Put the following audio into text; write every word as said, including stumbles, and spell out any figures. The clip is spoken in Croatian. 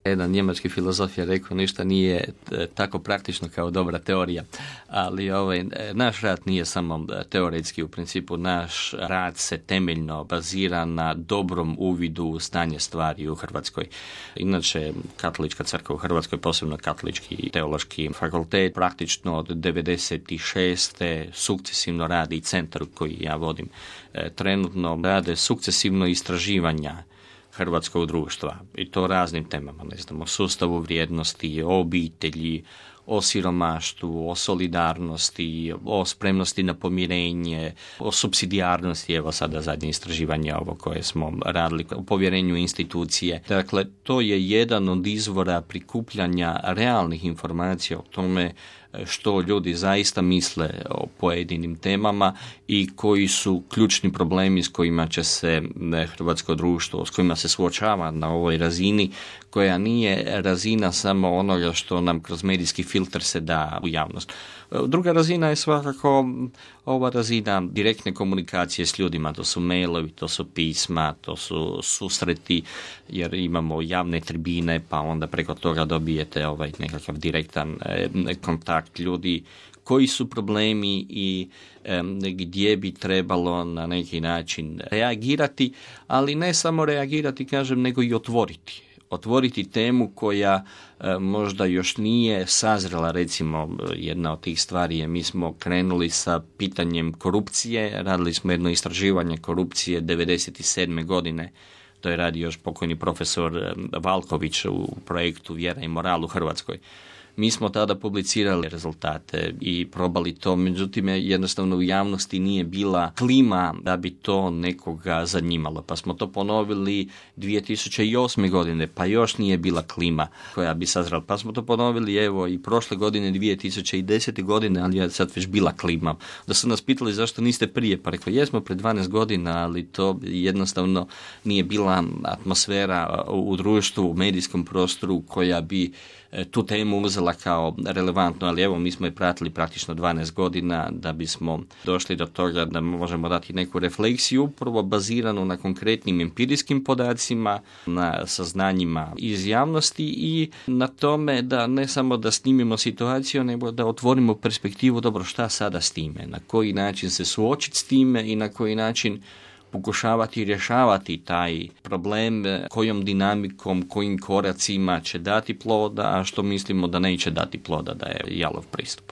Jedan njemački filozof je rekao, ništa nije tako praktično kao dobra teorija, ali ovaj, naš rad nije samo teoretski, u principu naš rad se temeljno bazira na dobrom uvidu u stanje stvari u Hrvatskoj. Inače, Katolička crkva u Hrvatskoj, posebno Katolički teološki fakultet, praktično od devedeset šeste sukcesivno radi centar koji ja vodim. Trenutno rade sukcesivno istraživanja hrvatskog društva i to raznim temama, ne znam, o sustavu vrijednosti, o obitelji, o siromaštvu, o solidarnosti, o spremnosti na pomirenje, o supsidijarnosti, evo sada zadnje istraživanje ovo koje smo radili, o povjerenju institucije. Dakle, to je jedan od izvora prikupljanja realnih informacija o tome što ljudi zaista misle o pojedinim temama i koji su ključni problemi s kojima će se hrvatsko društvo, s kojima se suočava na ovoj razini, koja nije razina samo onoga što nam kroz medijski filter se da u javnost. Druga razina je svakako ova razina direktne komunikacije s ljudima, to su mailovi, to su pisma, to su susreti, jer imamo javne tribine, pa onda preko toga dobijete ovaj nekakav direktan eh, kontakt ljudi, koji su problemi i eh, gdje bi trebalo na neki način reagirati, ali ne samo reagirati, kažem, nego i otvoriti. Otvoriti temu koja e, možda još nije sazrela, recimo jedna od tih stvari je, mi smo krenuli sa pitanjem korupcije, radili smo jedno istraživanje korupcije devedeset sedme godine, to je radio još pokojni profesor Valković u projektu Vjera i moral u Hrvatskoj. Mi smo tada publicirali rezultate i probali to, međutim jednostavno u javnosti nije bila klima da bi to nekoga zanimalo. Pa smo to ponovili dvije tisuće osme godine, pa još nije bila klima koja bi sazrela. Pa smo to ponovili evo i prošle godine dvije tisuće desete godine, ali je sad već bila klima. Da su nas pitali zašto niste prije, pa rekao jesmo pred dvanaest godina, ali to jednostavno nije bila atmosfera u društvu, u medijskom prostoru koja bi tu temu uzela kao relevantno, ali evo mi smo je pratili praktično dvanaest godina da bismo došli do toga da možemo dati neku refleksiju upravo baziranu na konkretnim empirijskim podacima, na saznanjima iz javnosti i na tome da ne samo da snimimo situaciju, nego da otvorimo perspektivu, dobro, šta sada s time, na koji način se suočiti s time i na koji način pokušavati rješavati taj problem, kojom dinamikom, kojim koracima će dati ploda, a što mislimo da neće dati ploda, da je jalov pristup.